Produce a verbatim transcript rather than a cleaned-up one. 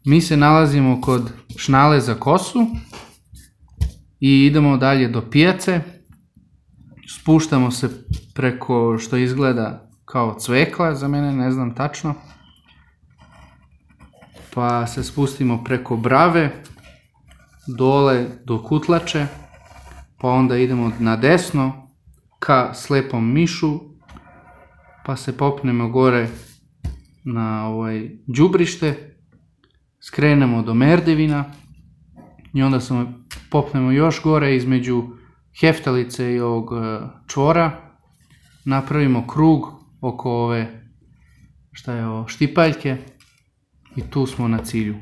Mi se nalazimo kod šnale za kosu i idemo dalje do pijace. Spuštamo se preko što izgleda kao cvekla, za mene ne znam tačno. Pa se spustimo preko brave, dole do Kutlače, pa onda idemo na desno ka Slepom mišu, pa se popnemo gore na ovaj đubrište, skrenemo do Merdevina i onda se popnemo još gore između Heftalice i ovog čvora, napravimo krug oko ove, šta je ovo, Štipaljke i tu smo na cilju.